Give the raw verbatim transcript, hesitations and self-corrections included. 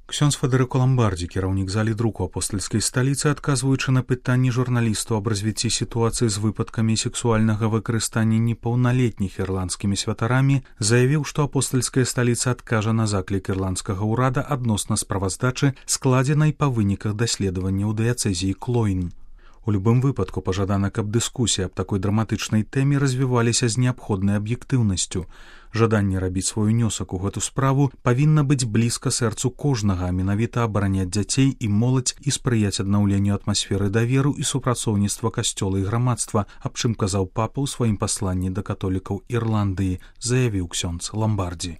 Ксёндз Федэрыко Ламбардзі, кіраўнік залі друку апостальскай сталіцы, адказваючы на пытанні журналістаў аб развіцці сітуацыі з выпадкамі сексуальнага выкарыстання непаўналетніх ірландскімі святарамі, заявіў, што апостальская сталіца адкажа на заклік ірландскага ўрада адносна справаздачы, складзенай па выніках даследавання ў дыяцэзіі Клойн. У любым выпадку пажадана, каб дыскусія аб такой драматычнай тэме развіваліся з неабходнай аб'ектыўнасцю. Жаданне рабіць свой унёсак у гэту справу павінна быць блізка сэрцу кожнага, а менавіта абараняць дзяцей і моладзь і спрыяць аднаўленню атмасферы даверу і супрацоўніцтва касцёла і грамадства, аб чым казаў папа ў сваім пасланні да католікаў Ірландыі, заявіў ксёндз Ламбардзі.